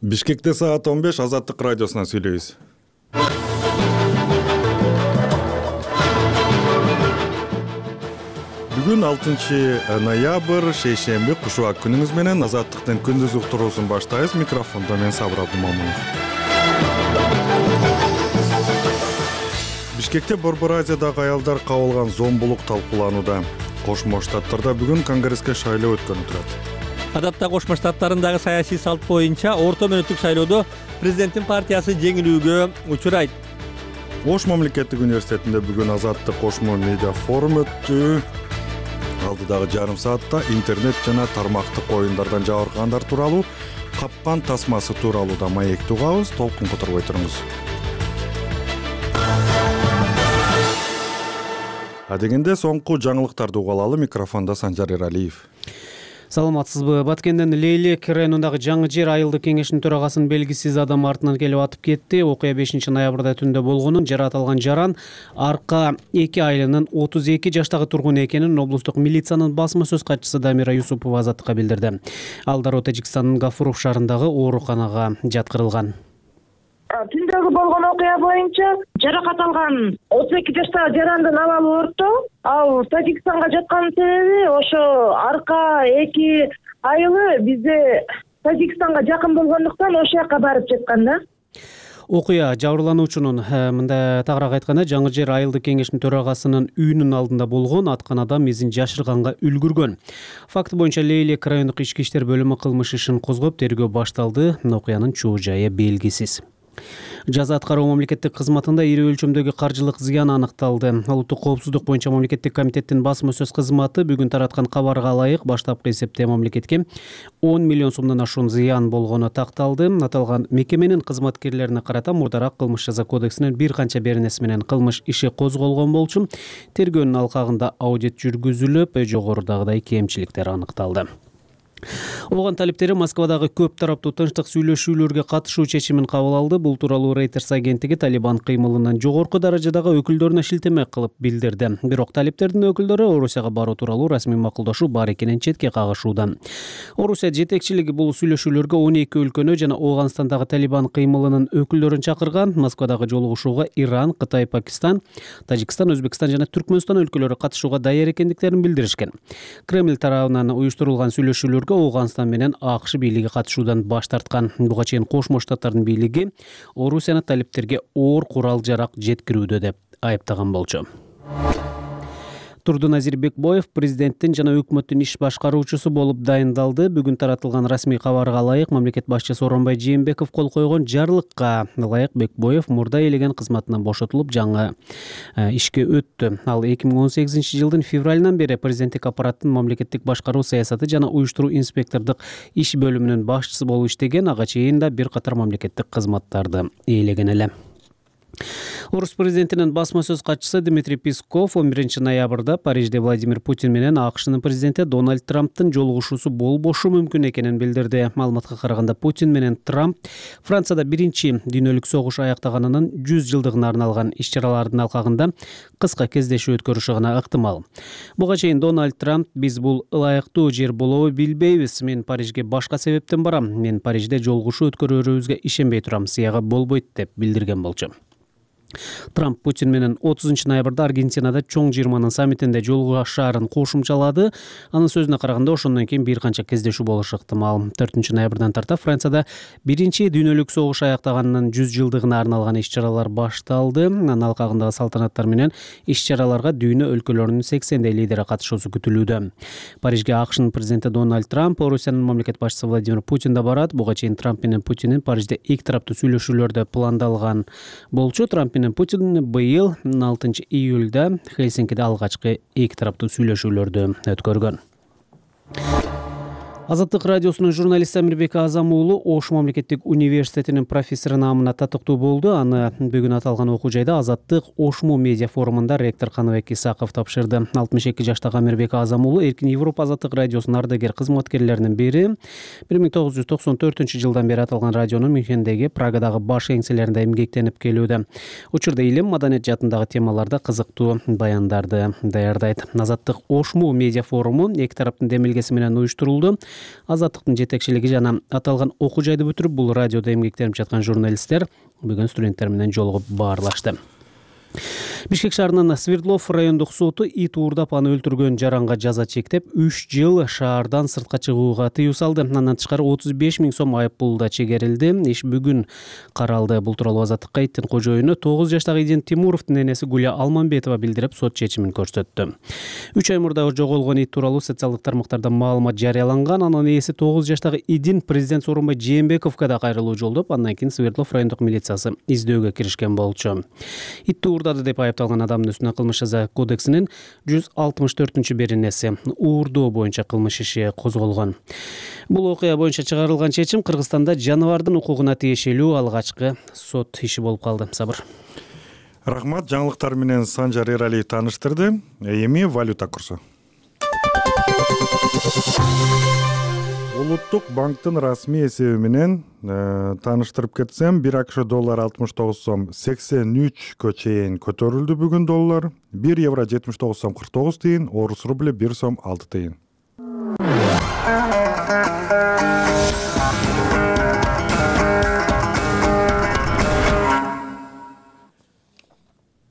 Бишкекте саат 15 Азаттык радиосунан сүйлөйбүз. Бүгүн 6 ноябрь шейшемби кушубак күнүңүз менен Азаттыктын күндүз уктуруусун баштайбыз. Микрофондо мен Сабыр Абдымомунов. Бишкекте Борбор Азиядагы аялдар кабылган зомбулук талкууланууда. Кошмо Штаттарда бүгүн конгресске шайлоо өткөнү турат. Адатта Кошмо Штаттарындагы саясий салт боюнча орто мөөнөттүк шайлоодо президенттин партиясы жеңилүүгө учурайт. Ош мамлекеттик университетинде бүгүн Азаттык Кошмо медиа форум өттү. Алдыдагы жарым саатта интернет жана тармактык оюндардан жабыркагандар тууралуу капкан тасмасы тууралуу да маекти угабыз. Толкун которбой туруңуз. Адегенде соңку жаңылыктарды угалалы. Микрофондо Санжар Эралиев. Саламатсызбы? Баткенден Лейлек районундагы Жаңы Жер айылдык кеңешинин төрагасынын белгисиз адам артынан келип атып кетти. Окуя 5 ноябрда түндө болгонун, жаратылган жаран Арка 2 айылынын 32 жаштагы тургуну экенин облустук милициянын басма сөз катчысы Дамира Юсупова Азаттыкка билдирди. Ал дароо Тажикстандын Гафуров шаарындагы ооруканага жаткырылган. Түндөгү болгон окуя боюнча жаракат алган 32 жаштагы жарандын абалы орто. Ал Тажикстанга жатканын себеби ошо Арка 2 айылы бизде Тажикстанга жакын болгондуктан ошол жака барып жаткан да. Окуя жабырлануучунун мындай тагыраак айтканда Жаңы Жер айылдык кеңешинин төрагасынын үйүнүн алдында болгон, аткан адам изин жашырганга үлгүргөн. Факт боюнча Лейлек райондук ички иштер бөлүмү кылмыш ишин козгоп тергөө башталды. Окуянын чоо жайы белгисиз. Жаза аткаруу мамлекеттик кызматында ири өлчөмдөгү каржылык зыян аныкталды. Улуттук коопсуздук боюнча мамлекеттик комитеттин басма сөз кызматы бүгүн тараткан кабарга ылайык баштапкы эсепте мамлекетке 10 миллион сомдон ашуун зыян болгону такталды. Аталган мекеменин кызматкерлерине карата мурдараак кылмыш жаза кодексинин бир канча беренеси менен кылмыш иши козголгон болчу. Тергөөнүн алкагында аудит жүргүзүлүп, жогорудагыдай кемчиликтер аныкталды. Оған талиптери Москвадагы көп тараптуу тынчтык сүйлөшүүлөргө катышуу чечимин кабыл алды. Бул тууралуу Reuters агенттиги Талибан кыймылынын жогорку даражадагы өкүлдөрүнө шилтеме кылып билдирди. Бирок талиптердин өкүлдөрү Орусияга баруу тууралуу расмий макулдашуу бар экенин четке кагышууда. Орусия жетекчилиги бул сүйлөшүүлөргө 12 өлкөнү жана Ооганстандагы Талибан кыймылынын өкүлдөрүн чакырган. Москвадагы жолугушууга Иран, Кытай, Пакистан, Тажикстан, Өзбекстан жана Түркмөнстан өлкөлөрү катышууга даяр экендиктерин билдиришкен. Кремль тарабынан уюштурулган сүйлөшүүлөр Ооганстан менен АКШ бийлиги катышуудан баш тарткан. Буга чейин Кошмо Штаттардын бийлиги Орусияны талиптерге оор курал-жарак жеткирүүдө деп айыптаган болчу. Турдуназир Бекбоев президенттин жана өкмөттүн иш башкаруучусу болуп дайындалды. Бүгүн таратылган расмий кабарга ылайык мамлекет башчысы Сооронбай Жээнбеков кол койгон жарлыкка ылайык Бекбоев мурда элеген кызматынан бошотулуп жаңы ишке өттү. Ал 2018-жылдын февралынан бери президенттик аппараттын мамлекеттик башкаруу саясаты жана уюштуруу инспектордук иш бөлүмүнүн башчысы болуп иштеген, ага чейин да бир катар мамлекеттик кызматтарды ээлеген эле. Орус президентинин басма сөз катчысы Дмитрий Песков 11 ноябрда Парижде Владимир Путин менен АКШнын президенти Дональд Трамптын жолугушуусу болбошу мүмкүн экенин билдирди. Маалыматка караганда Путин менен Трамп Францияда биринчи дүйнөлүк согуш аяктаганынын 100 жылдыгына арналган иш-чаралардын алкагында кыска кездешүү өткөрүшү ыктымал. Буга чейин Дональд Трамп биз бул ылайыктуу жер болобу билбейбиз. Мен Парижге башка себептен барам. Мен Парижде жолугушуу өткөрүүбүзгө ишенбей турам. Сыяга болбойт деп билдирген болчу. Трамп Путин менен 30 ноябрда Аргентинада чоң жыйырманын саммитинде жолугушаарын кошумчалады. Анын сөзүнө караганда ошондон кийин бир канча кездешүү болушу ыктымал. 4 ноябрдан тарта Францияда биринчи дүйнөлүк согуш аяктаганынын 100 жылдыгына арналган иш-чаралар башталды. Анын алкагындагы салтанаттар менен иш-чараларга дүйнө өлкөлөрүнүн 80 лидери катышуусу күтүлүүдө. Парижге АКШнын президенти Дональд Трамп, Орусиянын мамлекет башчысы Владимир Путин да барат. Буга чейин Трамп менен Путиндин Парижде эки тараптуу сүйлөшүүлөрдө пландалган болчу. Трамп менен Путин быйыл 6 июлда Хельсинкиде алгачкы эки тараптуу сүйлөшүүлөрдү өткөргөн. Азаттык радиосунун журналисти Амирбек Азам уулу Ош мамлекеттик университетинин профессору наамына татыктуу болду. Аны бүгүн аталган окуу жайда Азаттык Ошму медиа форумунда ректор Каныбек Исаков тапшырды. 62 жаштагы Амирбек Азам уулу Эркин Европа Азаттык радиосунун ардагер кызматкерлеринин бири. 1994-жылдан бери аталган радионун Мюнхендеги, Прагадагы баш эңселеринде эмгектенип келүүдө. Учурда илим, маданият жаатындагы темаларда кызыктуу баяндарды даярдайт. Азаттык Ошму медиа форуму эки тараптын демилгеси менен уюштурулду. Азаттыктын жетекчилиги жана аталган окуу жайды бүтүрүп, бул радиодо эмгектенип жаткан журналисттер бүгүн студенттер менен жолугуп баарлашты. Бишкек шаарынын Свердлов райондук соту ит уурдап аны өлтүргөн жаранга жаза чектеп 3 жыл шаардан сыртка чыгууга тыюу салды. Андан тышкары 35 000 сом айыппул да чегерилди. Иш бүгүн каралды. Бул тууралуу Азаттыкка иттин кожоюну 9 жаштагы Идин Тимуровдун энеси Гуля Алманбетова билдирип, сот чечимин көрсөттү. 3 ай мурда жоголгон ит тууралуу социалдык тармактарда маалымат жарыяланган. Анын ээси 9 жаштагы Идин президент Сооронбай Жээнбековго да кайрылуу жолдоп, андан кийин Свердлов райондук милициясы издөөгө киришкен болчу. Итти уурдады деп айыпталган адамдын үстүнө кылмыш жаза кодексинин 164-беренеси уурдоо боюнча кылмыш иши козголгон. Бул окуя боюнча чыгарылган чечим Кыргызстанда жаныбардын укугуна тиешелүү алгачкы сот иши болуп калды. Сабыр. Рахмат, жаңылыктар менен Санжар Эралиев тааныштырды. Эми валюта курсу. Улуттук банктын расмий эсеби менен тааныштырып кетсем, 1 АКШ доллар 69 сом 83кө чейин көтөрүлдү бүгүн доллар. 1 евро 79 сом 49 тыйын, орус рубль 1 сом 6 тыйын.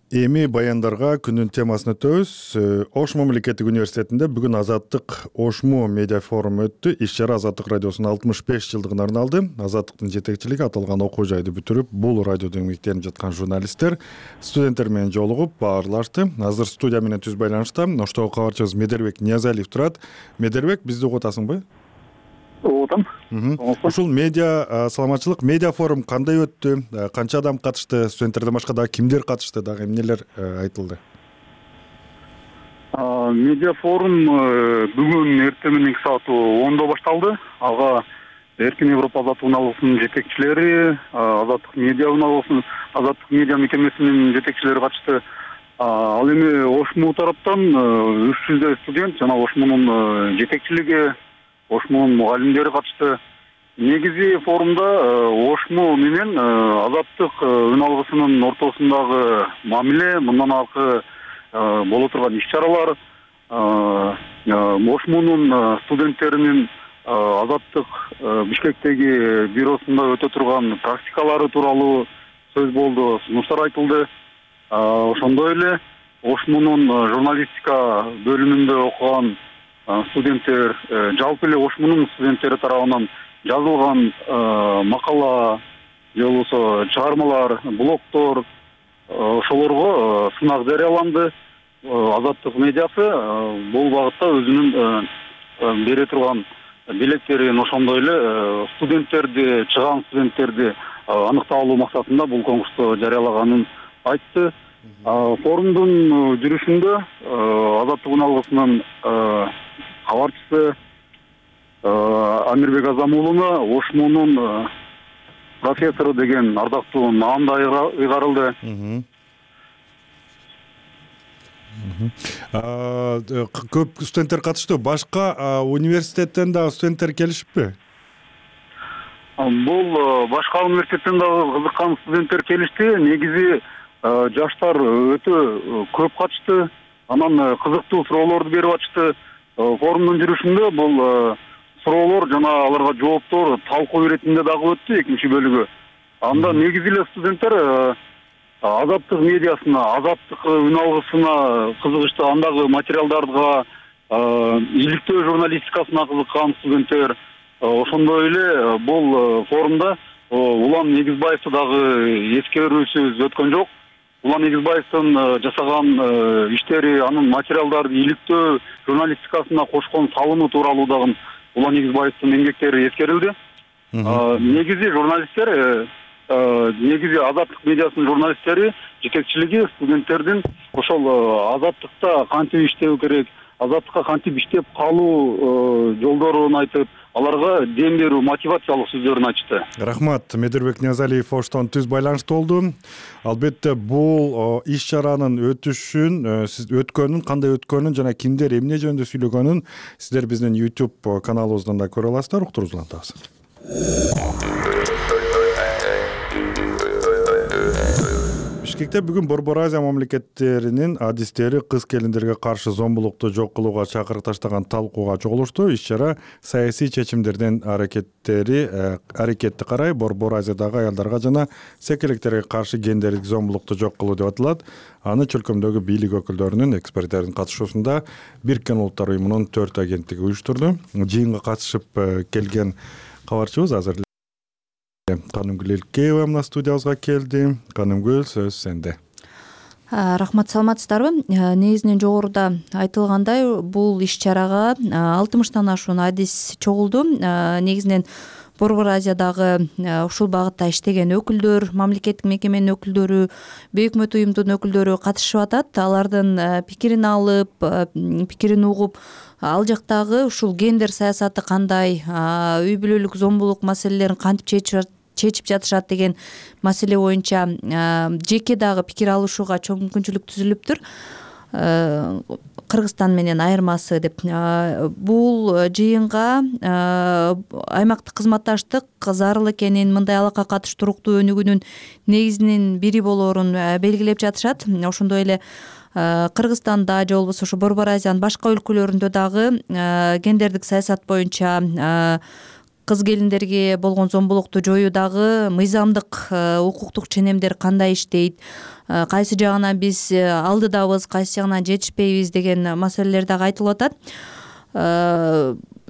Эми баяндарга күнүн темасын өтөбүз. Ош мамлекеттик университетинде бүгүн Азаттык Ошму медиа форум өттү. Иш-чара Азаттык радиосунун 65 жылдыгына арналды. Азаттыктын жетекчилиги аталган окуу жайды бүтүрүп, бул радиодо эмгектенип жаткан журналисттер студенттер менен жолугуп баарлашты. Азыр студия менен түз байланышта Оштогу кабарчыбыз Медербек Ниязалиев турат. Медербек, бизди угуп атасыңбы? Отам. Ушул медиа саламатчылык медиа форум кандай өттү? Канча адам катышты? Студенттерден башка дагы кимдер катышты? Дагы эмнелер айтылды? Медиа форум бүгүн эртең менен 2 саат 10-до башталды. Ага Эркин Европа азаттык уналгысынын жетекчилери, Азаттык медиа уналгысынын, Азаттык медиа мекемесинин жетекчилери катышты. Ал эми Ошму тараптан 300 студент жана Ошмунун жетекчилиги, Ошмунун мугалимдери катышты. Негизи форумда Ошму менен Азаттык уналгысынын ортосундагы мамиле, мындан аркы боло турган иш-чаралар, Ошмунун студенттеринин Азаттык Бишкектеги бюросунда өтө турган практикалары тууралуу сөз болду, сунуштар айтылды. Ошондой эле Ошмунун журналистика бөлүмүндө окуган студенттер, жалпы эле Ошмунун студенттери тарабынан жазылган макала же болбосо чыгармалар, блогдор, ошолорго сынак жарыяланды. Азаттык медиасы бул багытта өзүнүн бере турган белектерин, ошондой эле студенттерди, чыган студенттерди аныктап алуу максатында бул конкурсту жарыялаганын айтты. Форумдун жүрүшүндө Азаттык уналгысынын кабарчысы Амирбек Азамуулуна Ошмунун профессору деген ардактуу наам да ыйгарылды. Көп студенттер катышты. Башка университеттен дагы студенттер келишиппи? Бул башка университеттен дагы кызыккан студенттер келишти. Негизи жаштар өтө көп катышты. Анан кызыктуу суроолорду берип атышты. Форумдун жүрүшүндө бул суроолор жана аларга жооптор талкуу иретинде дагы өттү экинчи бөлүгү. Анда негизи эле студенттер Азаттык медиасына, Азаттык уналгысына кызыгышты, андагы материалдарга, иликтөө журналистикасына кызыккан студенттер. Ошондой эле бул форумда Улан Негизбаевди дагы эскерүүсүз өткөн жок. Улан Негизбаевдин жасаган иштери, анын материалдарды иликтөө журналистикасына кошкон салымы тууралуу дагы Улан Негизбаевдин эмгектери эскерилди. Негизи журналисттер, негизи Азаттык медиасынын журналисттери жетекчилиги студенттердин ошол Азаттыкта кантип иштөө керек, Азаттыкка кантип иштеп калуу жолдорун айтып, аларга дем берүү, мотивациялык сөздөрүн айтышты. Рахмат, Медербек Ниязалиев Оштон түз байланышта болду. Албетте бул иш-чаранын өткөнүн, кандай өткөнүн жана кимдер эмне жөнүндө сүйлөгөнүн сиздер биздин YouTube каналыбыздан да көрө аласыздар. Уктуруңуздар атабыз. Бишкек бишкекте бүгүн Борбор Азия мамлекеттеринин адистери кыз келиндерге каршы зомбулукту жок кылууга чакырык таштаган талкууга чогулушту. Иш-чара саясий чечимдердин аракетти карай Борбор Азиядагы аялдарга жана секелектерге каршы гендердик зомбулукту жок кылуу деп аталат. Аны чөлкөмдөгү бийлик өкүлдөрүнүн, эксперттердин катышуусунда Бириккен Улуттар уюмунун 4 агенттиги уюштурду. Жыйынга катышып келген кабарчыбыз азыр Канымгүл Элкеева мына студиябызга келди. Канымгүл, сөз сенде. Рахмат, саламатсыздарбы? Негизинен жогоруда айтылгандай, бул иш-чарага 60тан ашуун адис чогулду. Негизинен Борбор Азиядагы ушул багытта иштеген өкүлдөр, мамлекеттик мекеменин өкүлдөрү, бейөкмөт уюмдун өкүлдөрү катышып атат. Алардын пикирин алып, пикирин угуп, ал жактагы ушул гендер саясаты кандай, үй бүлөлүк зомбулук маселелерин кантип чечип жатышат деген маселе боюнча жеке дагы пикир алышууга чоң мүмкүнчүлүк түзүлүптүр. Кыргызстан менен айырмасы деп. Бул жыйынга аймактык кызматташтык зарыл экенин, мындай алакка катыш туруктуу өнүгүүнүн негизинин бири болоорун белгилеп жатышат. Ошондой эле Кыргызстанда же болбосо ушу Борбор Азиянын башка өлкөлөрүндө дагы гендердик саясат боюнча кыз келиндерге болгон зомбулукту жоюудагы мыйзамдык укуктук ченемдер кандай иштейт, кайсы жагынан биз алдыдабыз, кайсы жагынан жетишпейбиз деген маселелер дагы айтылып атат.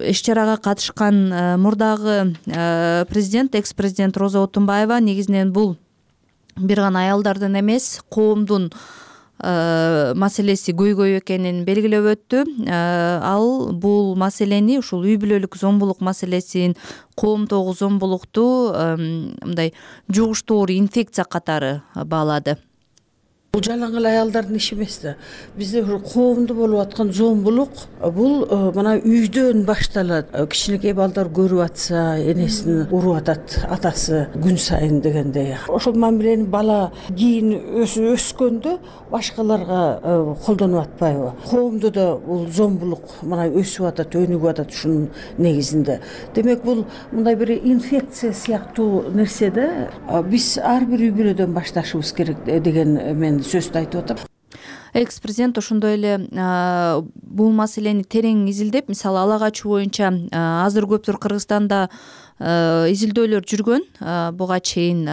Иш-чарага катышкан мурдагы президент, экс-президент Роза Отунбаева негизинен бул бир гана аялдардын эмес, коомдун маселеси көйгөй экенин белгилеп өттү. Ал бул маселени, ушул үй бүлөлүк зомбулук маселесин, коомдогу зомбулукту мындай жугуштуур инфекция катары баалады. Бул жалаң эле аялдардын иши эмес да. Бизде коомдо болуп аткан зомбулук бул мына үйдөн башталат. Кичинекей балдар көрүп атса, энесин уруп атат атасы күн сайын дегендей. Ошол мамилени бала кийин өскөндө башкаларга колдонуп атпайбы? Коомдо да бул зомбулук мына өсүп атат, өнүгүп атат ушунун негизинде. Демек бул мындай бир инфекция сыяктуу нерсе да. Биз ар бир үй бүлөдөн башташыбыз керек деген мен сөздү айтып атам. Экс-президент ошондой эле бул маселени терең изилдеп, мисалы ала качуу боюнча азыр көптүр Кыргызстанда изилдөөлөр жүргөн буга чейин.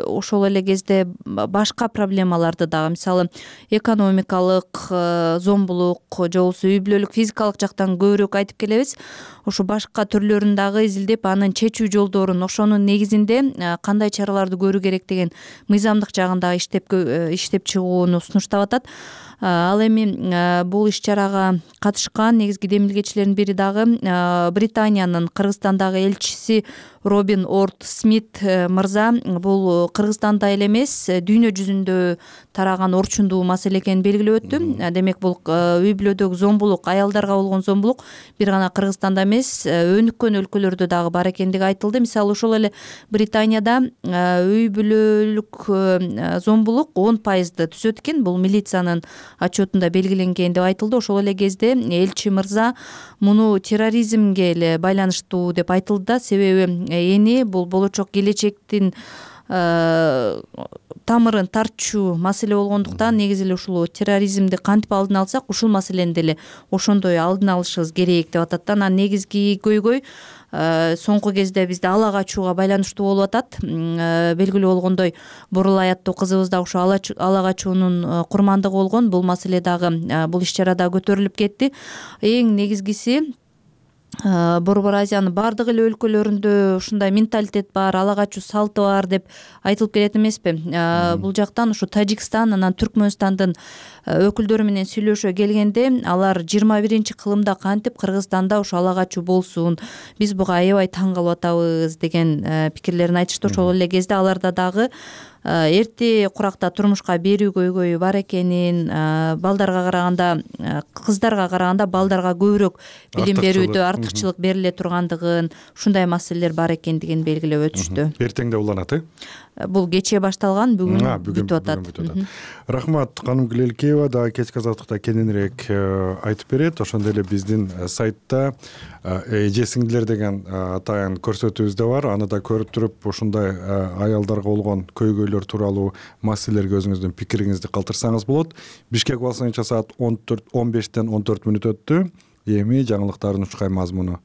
Ошол эле кезде башка проблемаларды дагы, мисалы экономикалык зомбулук же болбосо үй бүлөлүк физикалык жактан көбүрөөк айтып келебиз. Ошо башка түрлөрүн дагы изилдеп, анын чечүү жолдорун, ошонун негизинде кандай чараларды көрүү керек деген мыйзамдык жагын дагы иштеп чыгууну сунуштап атат. Ал эми бул иш-чарага катышкан негизги демилгечилердин бири дагы Британиянын Кыргызстандагы элчиси Робин Орд Смит мырза. Бул Кыргызстанда эле эмес, дүйнө жүзүндө тараган орчундуу маселе экенин белгилеп өттү. Демек бул үй бүлөдөгү зомбулук, аялдарга болгон зомбулук бир гана Кыргызстанда эмес, өнүккөн өлкөлөрдө дагы бар экендиги айтылды. Мисалы ошол эле Британияда үй бүлөлүк зомбулук 10% түзөт экен. Бул милициянын отчетунда белгиленген деп айтылды. Ошол эле кезде элчи мырза муну терроризмге эле байланыштуу деп айтылды да. Себеби эни бул болочок келечектин тамырын тартчу маселе болгондуктан негизи эле ушул терроризмди кантип алдын алсак, ушул маселени деле ошондой алдын алышыбыз керек деп атат да. Анан негизги көйгөй соңку кезде бизде ала качууга байланыштуу болуп атат. Белгилүү болгондой, Бурул Аяттуу кызыбыз да ошо ала качуунун курмандыгы болгон. Бул маселе дагы бул иш-чарада көтөрүлүп кетти. Эң негизгиси Борбор Азиянын бардык эле өлкөлөрүндө ушундай менталитет бар, ала качуу салты бар деп айтылып келет эмеспи? Бул жактан ушу Тажикстан, анан Түркмөнстандын өкүлдөрү менен сүйлөшө келгенде, алар 21-кылымда кантип Кыргызстанда ушу ала качуу болсун, биз буга аябай таң калып атабыз деген пикирлерин айтышты. Ошол эле кезде аларда дагы эрте куракта турмушка берүү көйгөйү бар экенин, балдарга караганда, кыздарга караганда балдарга көбүрөөк билим берүүдө артыкчылык бериле тургандыгын, ушундай маселелер бар экендигин белгилеп өтүштү. Эртең да уланат, Бул кечээ башталган, бүгүн бүтүп атат. Рахмат. Канымгүл Элкеева дагы кечки азаттыкта кененирээк айтып берет. Ошондой эле биздин сайтта эже сиңдилер деген атайын көрсөтүүбүз да бар. Аны да көрүп туруп, ушундай аялдарга болгон көйгөйлөр көйгөйлөр тууралуу маселелерге өзүңүздүн пикириңизди калтырсаңыз болот. Бишкек убагында саат 15-тен 14 мүнөт өттү. Эми жаңылыктардын учкай мазмуну.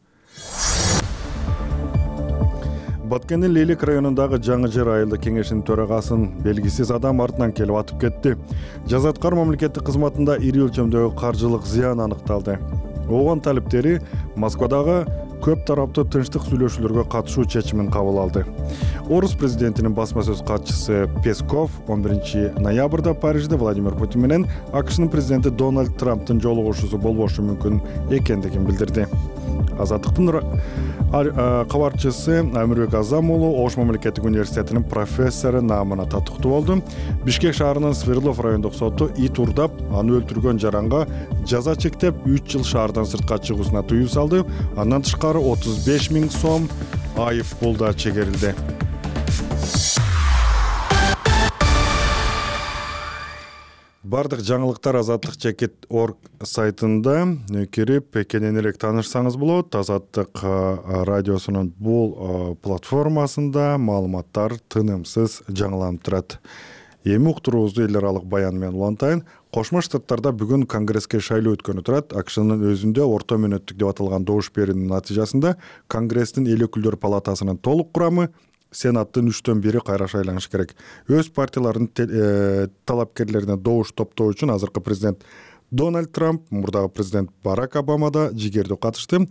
Баткендин Лейлик районундагы Жаңы Жер айылдык кеңешинин төрагасын белгисиз адам артынан келип атып кетти. Жазаткар мамлекеттик кызматында ири өлчөмдөгү каржылык зыян аныкталды. ООН талептери Москвадагы көп тараптуу тынчтык сүйлөшүүлөргө катышуу чечимин кабыл алды. Орус президентинин басма сөз катчысы Песков 11 ноябрда Парижде Владимир Путин менен АКШнын президенти Дональд Трамптын жолугушуусу болбошу мүмкүн экендигин билдирди. Азаттыктын кабарчысы Амирбек Азам уулу Ош мамлекеттик университетинин профессору наамына татыктуу болду. Бишкек шаарынын Свердлов райондук соту ит урдап, аны өлтүргөн жаранга жаза чектеп 3 жыл шаардан сыртка чыгуусуна тыюу салды. Андан тышкары 35 000 сом айып пул да чегерилди. Бардык жаңылыктар Азаттык.org сайтында кирип кененирээк таанышсаңыз болот. Азаттык радиосунун бул платформасында маалыматтар тынымсыз жаңыланып турат. Эми уктуруубузду эл аралык баян менен улантайын. Кошмо Штаттарда бүгүн Конгресске шайлоо өткөнү турат. АКШнын өзүндө орто мөөнөттүк деп аталган добуш берүүнүн натыйжасында Конгресстин эл өкүлдөр палатасынын толук курамы Сенаттын 3/1 кайра шайланышы керек. Өз партияларынын талапкерлерине добуш топтоо үчүн азыркы президент Дональд Трамп, мурдагы президент Барак Обама да жигердүү катышты.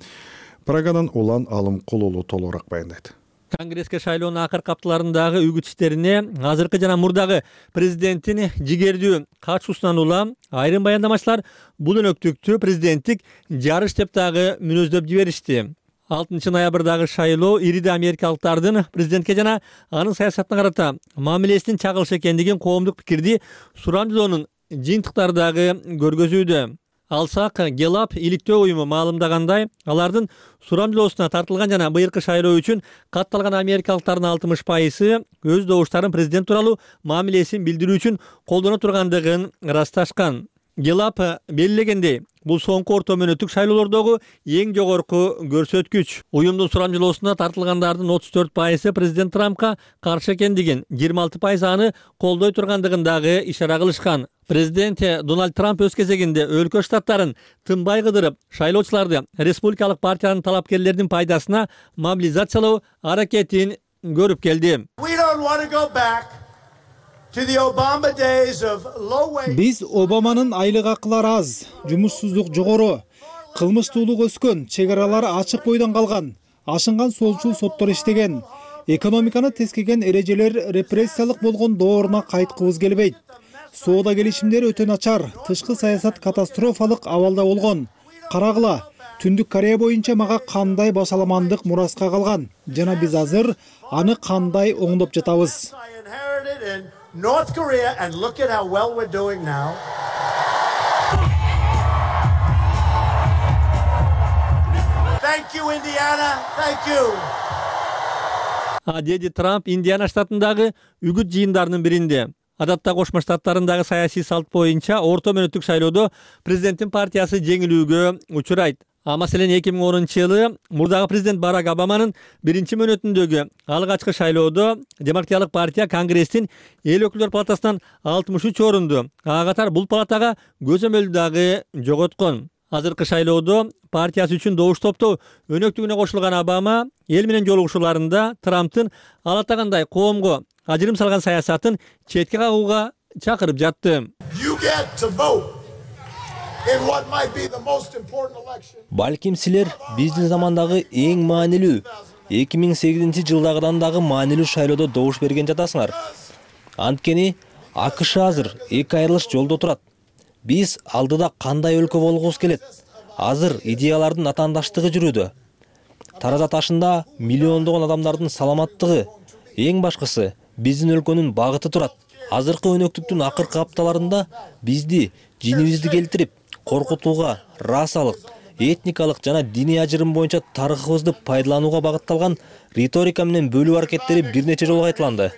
Прагадан Улан Алымкул уулу толугураак баяндайт. Конгресске шайлоонун акыркы апталарындагы үгүт иштерине азыркы жана мурдагы президенттин жигердүү катышуусунан улам айрым баяндамачылар бул өнөктүктү президенттик жарыш деп дагы мүнөздөп жиберишти. 6 ноябрдагы шайлоо ириде америкалыктардын президентке жана анын саясатына карата мамилесинин чагылышы экендигин коомдук пикирди сурамжылоонун жыйынтыктары дагы көргөзүүдө. Алсак Гелап иликтөө уюму маалымдагандай, алардын сурамжылоосуна тартылган жана быйыркы шайлоо үчүн катталган америкалыктардын 60% өз добуштарын президент тууралуу мамилесин билдирүү үчүн колдоно тургандыгын ырасташкан. Гелап белгилегендей, бул соңку орто мөөнөттүк шайлоолордогу эң жогорку көрсөткүч. Уюмдун сурамжылоосуна тартылгандардын 34% президент Трампка каршы экендигин, 26% аны колдой тургандыгын дагы ишара кылышкан. Президент Дональд Трамп өз кезегинде өлкө штаттарын тынбай кыдырып, шайлоочуларды республикалык партиянын талапкерлеринин пайдасына мобилизациялоо аракетин көрүп келди. Биз Обаманын айлык акылары аз, жумушсуздук жогору, кылмыштуулук өскөн, чек аралары ачык бойдон калган, ашынган солчул соттор иштеген, экономиканы тескеген эрежелер репрессиялык болгон дооруна кайткыбыз келбейт. Соода келишимдери өтө начар, тышкы саясат катастрофалык абалда болгон. Карагыла, Түндүк Корея боюнча мага кандай башаламандык мураска калган жана биз азыр аны кандай оңдоп жатабыз. North Korea, and look at how well we're doing now. Thank you, Indiana. Thank you. Деди Трамп Индиана штатындагы үгүт жыйындарынын биринде. Адатта Кошмо Штаттарындагы саясий салт боюнча орто мөөнөттүк шайлоодо президенттин партиясы жеңилүүгө учурайт. Маселен 2010-жылы мурдагы президент Барак Обаманын биринчи мөөнөтүндөгү алгачкы шайлоодо Демократиялык партия Конгресстин эл өкүлдөр палатасынан 63 орунду, ага катар бул палатага көзөмөлдү дагы жоготкон. Азыркы шайлоодо партиясы үчүн добуш топтоо өнөктүгүнө кошулган Обама эл менен жолугушууларында Трамптын ал атагандай коомго ажырым салган саясатын четке кагууга чакырып жатты. Балким силер биздин замандагы эң маанилүү 2008-жылдагыдан дагы маанилүү шайлоодо добуш берген жатасыңар. Анткени АКШ азыр эки айрылыш жолдо турат. Биз алдыда кандай өлкө болгубуз келет? Азыр идеялардын атаандаштыгы жүрүүдө. Тараза ташында миллиондогон адамдардын саламаттыгы, эң башкысы биздин өлкөнүн багыты турат. Азыркы өнөктүктүн акыркы апталарында бизди жинибизди келтирип, коркутууга, расалык, этникалык жана диний ажырым боюнча тарыхыбызды пайдаланууга багытталган риторика менен бөлүү аракеттери бир нече жолу кайталанды.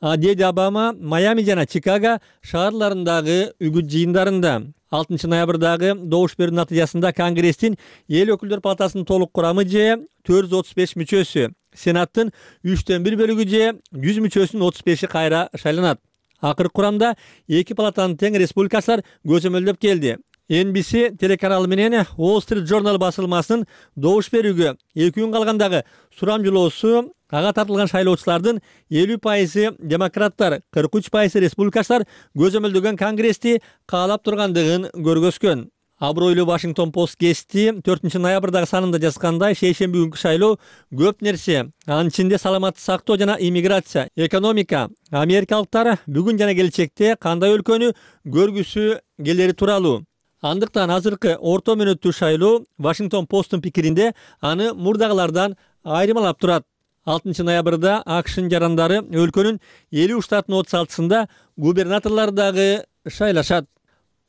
деди Обама Майами жана Чикаго шаарларындагы үгүт жыйындарында. 6 ноябрдагы добуш берүү натыйжасында Конгресстин эл өкүлдөр палатасынын толук курамы же 435 мүчөсү, Сенаттын 3/1 бөлүгү же 100 мүчөсүнүн 35 кайра шайланат. Акыркы курамда эки палатанын тең республикачылар көзөмөлдөп келди. NBC телеканалы менен Wall Street Journal басылмасынын добуш берүүгө 2 күн калгандагы сурамжылоосу ага тартылган шайлоочулардын 50% демократтар, 43% республикачылар көзөмөлдөгөн Конгрессти каалап тургандыгын көргөзгөн. Абройлуу Washington Post гезити 4 ноябрдагы санында жазгандай, шейшемби күнкү шайлоо көп нерсе, анын ичинде саламаттык сактоо жана иммиграция, экономика, америкалыктар бүгүн жана келечекте кандай өлкөнү көргүсү келери тууралуу. Андыктан азыркы орто мөөнөттүү шайлоо Washington Post'ун пикиринде аны мурдагылардан айырмалап турат. 6 ноябрда АКШнын жарандары өлкөнүн 50 штатынын 36-сында губернаторлор дагы шайлашат.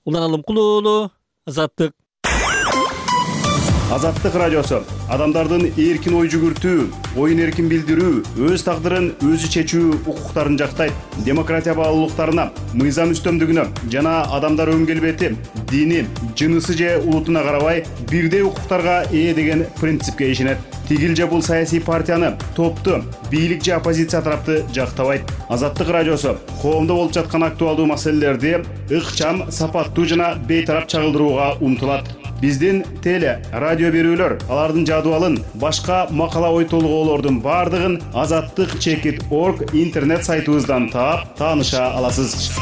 Улан Алымкулуу, Азаттык. Азаттык радиосу адамдардын эркин ой жүгүртүү, оюн эркин билдирүү, өз тагдырын өзү чечүү укуктарын жактайт. Демократия баалуулуктарына, мыйзам үстөмдүгүнө жана адамдар өң келбети, дини, жынысы же улутуна карабай бирдей укуктарга ээ деген принципке ишенет. Тигил же бул саясий партияны, топту, бийлик же оппозиция тарапты жактабайт. Азаттык радиосу коомдо болуп жаткан актуалдуу маселелерди ыкчам, сапаттуу жана бейтарап чагылдырууга умтулат. Биздин теле, радио берүүлөр, алардын жадыбалын, башка макала ой толгоолордун бардыгын azattyk.org интернет сайтыбыздан таап, тааныша аласыз.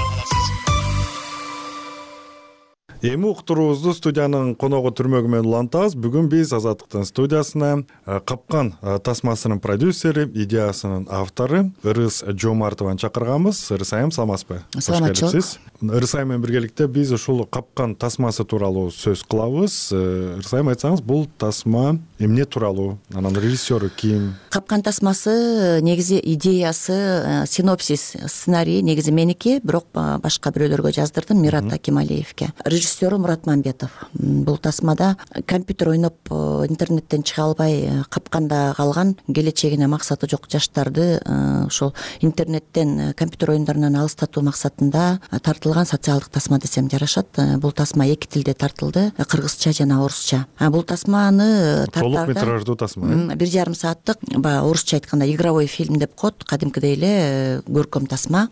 Эми уктуруубузду студиянын коногу түрмөгү менен улантабыз. Бүгүн биз Азаттыктын студиясына Капкан тасмасынын продюсери, идеясынын автору Ырыс Жомартованы чакырганбыз. Ырыс айым, саламатсызбы? Саламатчылык. Ырыс айым менен биргеликте биз ушул Капкан тасмасы тууралуу сөз кылабыз. Ырыс айым, айтсаңыз, бул тасма эмне тууралуу? Анын режиссеру ким? Капкан тасмасы негизи идеясы, синопсис, сценарий негизи меники, бирок башка бирөөлөргө жаздырдым, Мират Акималиевке. Режиссеру Мурат Мамбетов. Бул тасмада компьютер ойноп интернеттен чыга албай капканда калган, келечегине максаты жок жаштарды ошол интернеттен, компьютер оюндарынан алыстатуу максатында тартылган социалдык тасма десем жарашат. Бул тасма эки тилде тартылды, кыргызча жана орусча. Бул тасманы толук метраждуу тасма. 1,5 сааттык, орусча айтканда игровой фильм деп коет, кадимкидей эле көркөм тасма.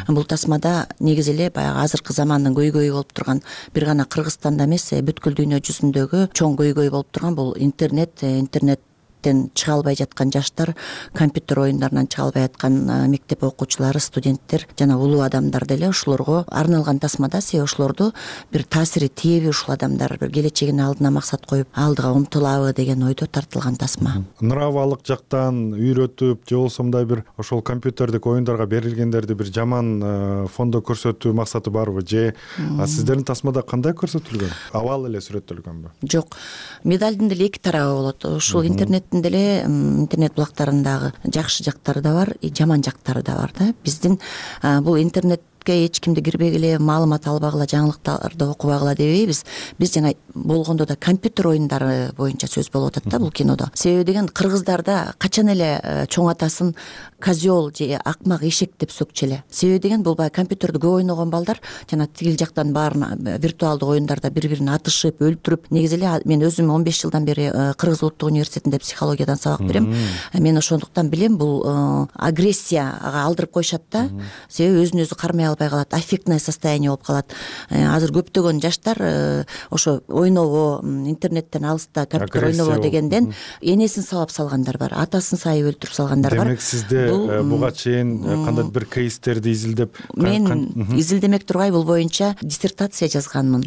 Бул тасмада негизи эле баягы азыркы замандын көйгөйү болуп турган, бир гана Кыргызстанда эмес, бүткүл дүйнө жүзүндөгү чоң көйгөй болуп турган бул интернеттен чыга албай жаткан жаштар, компьютер оюндарынан чыга албай аткан мектеп окуучулары, студенттер жана улуу адамдар деле ошолорго арналган тасмада. Себеби ошолорду бир таасири тийеби, ушул адамдар бир келечегине алдына максат коюп алдыга умтулабы деген ойдо тартылган тасма. Нравалык жактан үйрөтүп же болбосо мындай бир ошол компьютердик оюндарга берилгендерди бир жаман фондо көрсөтүү максаты барбы же сиздердин тасмада кандай көрсөтүлгөн? Абал эле сүрөттөлгөнбү? Жок. Медалдын деле эки тарабы болот. Ушул деле интернет булактарындагы жакшы жактары да бар, жаман жактары да бар да. Биздин бул интернетке эч кимди кирбегиле, маалымат албагыла, жаңылыктарды окубагыла дебейбиз. Биз жана болгондо да компьютер оюндары боюнча сөз болуп атат да бул кинодо. Себеби деген кыргыздарда качан эле чоң атасын козел же акмак эшек деп сөкчү эле. Себеби деген бул баягы компьютерди көп ойногон балдар жана тигил жактан баарын виртуалдык оюндарда бири-бирин атышып, өлтүрүп. Негизи эле мен өзүм 15 жылдан бери Кыргыз улуттук университетинде психологиядан сабак берем. Мен ошондуктан билем, бул агрессияга алдырып коюшат да. Себеби өзүн өзү кармай албай калат, аффектное состояние болуп калат. Азыр көптөгөн жаштар ошо ойнобо, интернеттен алыста компьютер ойнобо дегенден энесин сабап салгандар бар, атасын сайып өлтүрүп салгандар бар. Демек сизде буга чейин кандай бир кейстерди изилдеп? Мен изилдемек тургай, бул боюнча диссертация жазганмын.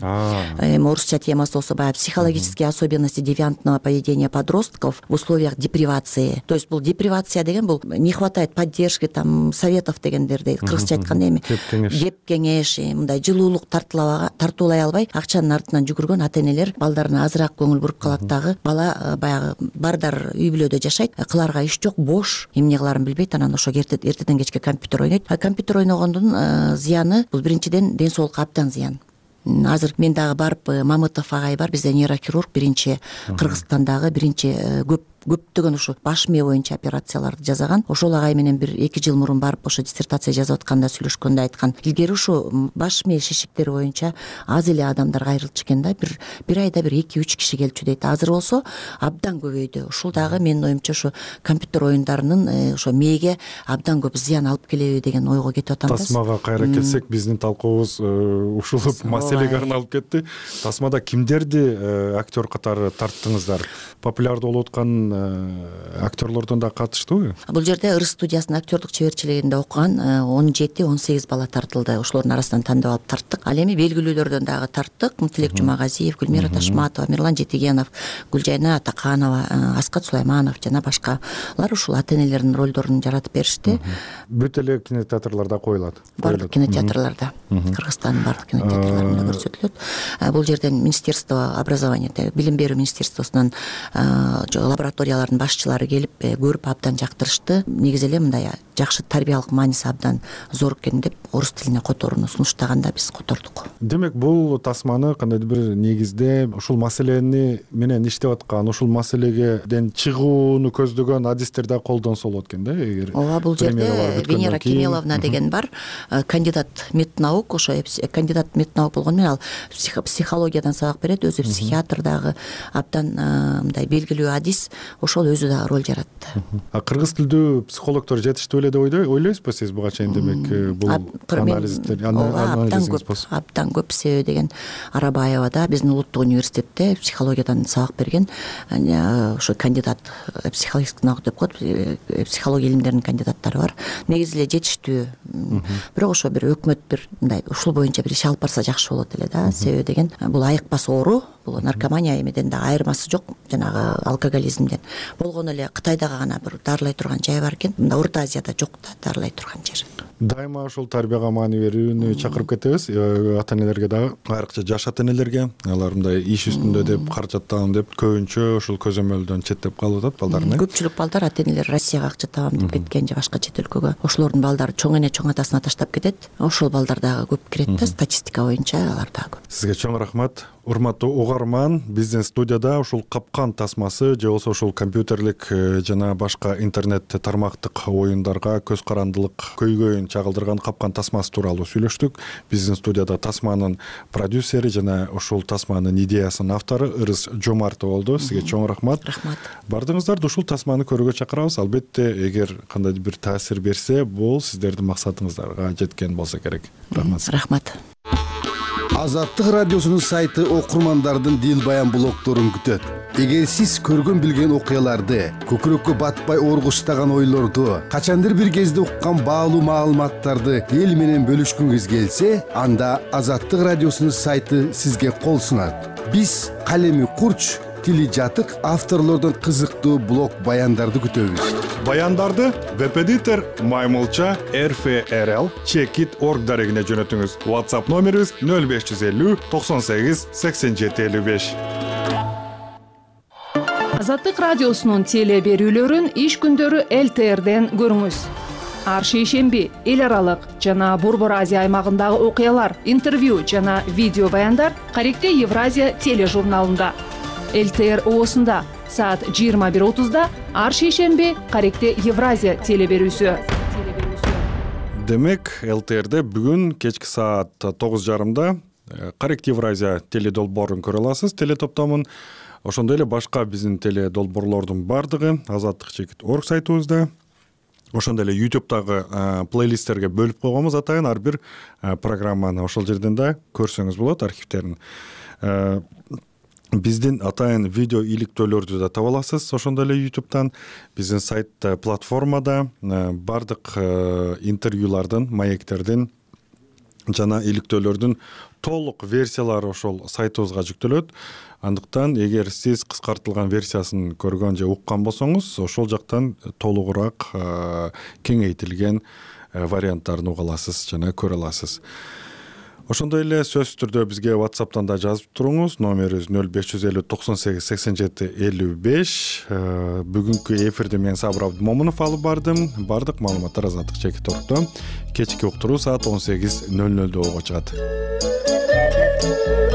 Орусча темасы болсо баягы психологические особенности девиантного поведения подростков в условиях депривации. То есть бул депривация деген бул не хватает поддержки, там советов дегендерди кыргызча айтканда эми кеп кеңеш, мындай жылуулук тартуулай албай акчанын артынан жүгүргөн ата-энелер балдарына азыраак көңүл буруп калат дагы. Бала баягы бардар үй бүлөдө жашайт, кыларга иш жок, бош, эмне кыларын билбейт, анан ошо эртеден кечке компьютер ойнойт. Компьютер ойногондун зыяны бул биринчиден ден соолукка абдан зыян. азыр мен дагы барып Мамытов агай бар, бизде нейрохирург, биринчи Кыргызстандагы биринчи көптөгөн ушу баш мээ боюнча операцияларды жасаган. Ошол агай менен 1-2 жыл мурун барып ошо диссертация жазып атканда сүйлөшкөндө айткан, илгери ушу баш мээ шишиктери боюнча аз эле адамдар кайрылчу экен да, бир айда 1-2-3 киши келчү дейт. Азыр болсо абдан көбөйдү. Ушул дагы менин оюмча ушу компьютер оюндарынын ошо мээге абдан көп зыян алып келеби деген ойго кетип атам да. Тасмага кайра келсек, биздин талкуубуз ушул маселеге арналып кетти. Тасмада кимдерди актер катары тарттыңыздар? Популярдуу болуп аткан актерлордон да катыштыбы? Бул жерде Ырыс студиясынын актердук чеберчилигинде окуган 17-18 бала тартылды. Ошолордун арасынан тандап алып тарттык. Ал эми белгилүүлөрдөн дагы тарттык. Тилек Жумагазиев, Гүлмира Ташматова, Мирлан Жетигенов, Гүлжайна Атаканова, Аскат Сулайманов жана башкалар ушул ата-энелердин ролдорун жаратып беришти. Бүт эле кинотеатрларда коюлат. Бардык кинотеатрларда, Кыргызстандын бардык кинотеатрларында көрсөтүлөт. Бул жерден Министерство образования, билим берүү министерствосунун лабораториялардын башчылары келип көрүп абдан жактырышты. Негизи эле мындай жакшы тарбиялык мааниси абдан зор экен деп орус тилине которууну сунуштаганда биз котордук. Демек бул тасманы кандайдыр бир негизде ушул маселени менен иштеп аткан, ушул маселеден чыгууну көздөгөн адистер да колдонсо болот экен да, эгер. Ооба, бул жерде Венера Кемеловна деген бар, кандидат меднаук, ошо кандидат меднаук болгону менен ал психологиядан сабак берет, өзү психиатр дагы, абдан мындай белгилүү адис, ошол өзү дагы роль жаратты. Кыргыз тилдүү психологдор жетиштүү эле деп ойлойсузбу сиз буга чейин? Демек бул абдан көп. Себеби деген Арабаева да биздин улуттук университетте психологиядан сабак берген, ошо кандидат, психологический наук деп коет, психология илимдеринин кандидаттары бар. Негизи эле жетиштүү. Бирок ошо бир өкмөт бир мындай ушул боюнча бир иш алып барса жакшы болот эле да. Себеби деген бул айыкпас оору, бул наркомания эмеден дагы айырмасы жок, жанагы алкоголизмден. Болгону эле Кытайдагы гана бир дарылай турган жай бар экен. Мында Орто Азияда жок да дарылай турган жер. Дайыма ушул тарбияга маани берүүнү чакырып кетебиз. Ата-энелерге дагы, айрыкча жаш ата-энелерге, алар мындай иш үстүндө деп, каражат табам деп көбүнчө ушул көзөмөлдөн четтеп калып атат балдарын. Көпчүлүк балдар ата-энелер Россияга акча табам деп кеткен же башка чет өлкөгө. Ошолордун балдары чоң эне чоң атасына таштап кетет. Ошол балдар дагы көп кирет да, статистика боюнча алар дагы көп. Сизге чоң рахмат. Урматтуу угарман, биздин студияда ушул капкан тасмасы же болбосо ушул компьютерлик жана башка интернет тармактык оюндарга көз карандылык көйгөйүн чагылдырган капкан тасмасы тууралуу сүйлөштүк. Биздин студияда тасманын продюсери жана ушул тасманын идеясынын автору Ырыс Жомартова болду. Сизге чоң рахмат. Рахмат. Бардыгыңыздарды ушул тасманы көрүүгө чакырабыз. Албетте, эгер кандайдыр бир таасир берсе, бул сиздердин максатыңыздарга жеткен болсо керек. Рахмат. Рахмат. Азаттык радиосунун сайты окурмандардын дил баян блогдорун күтөт. Эгер сиз көргөн билген окуяларды, көкүрөккө батпай оргуштаган ойлорду, качандыр бир кезде уккан баалуу маалыматтарды эл менен бөлүшкүңүз келсе, анда Азаттык радиосунун сайты сизге кол сунат. Биз калеми курч, тили жатык авторлордон кызыктуу блог баяндарды күтөбүз. Баяндарды веб-эдитор Маймылча RFRL Checkit.org дарегине жөнөтүңүз. WhatsApp номерибиз 0550 98 87 55. Азаттык радиосунун теле берүүлөрүн иш күндөрү ЛТРден көрүңүз. Ар шейшемби эл аралык жана Борбор Азия аймагындагы окуялар, интервью жана видео баяндар Каректе Евразия тележурналында. ЛТР оосунда саат 21:30 ар шейшемби Каректе Евразия телеберүүсү. Демек, ЛТРде бүгүн кечки саат 9:30 Каректе Евразия теледолбоорун көрө аласыз, телетоптомун. Ошондой эле башка биздин теледолбоорлордун бардыгы Азаттык.org сайтыбызда. Ошондой эле YouTube'дагы плейлисттерге бөлүп койгонбуз атайын, ар бир программаны ошол жерден да көрсөңүз болот, архивтерин. Биздин атайын видео иликтөөлөрдү да таба аласыз ошондой эле YouTube'дан. Биздин сайтта, платформада бардык интервьюлардын, маектердин жана иликтөөлөрдүн толук версиялары ошол сайтыбызга жүктөлөт. Андыктан эгер сиз кыскартылган версиясын көргөн же уккан болсоңуз, ошол жактан толугураак кеңейтилген варианттарын уга аласыз жана көрө аласыз. Ошондой эле сөзсүз түрдө бизге WhatsApp'тан да жазып туруңуз. Номерибиз 0550 98 87 55. Бүгүнкү эфирди мен Сабыр Абдымомунов алып бардым. Бардык маалыматтар Азаттык Checkit.org'da. Кечки уктуруу саат 18:00 ого чыгат. Thank you.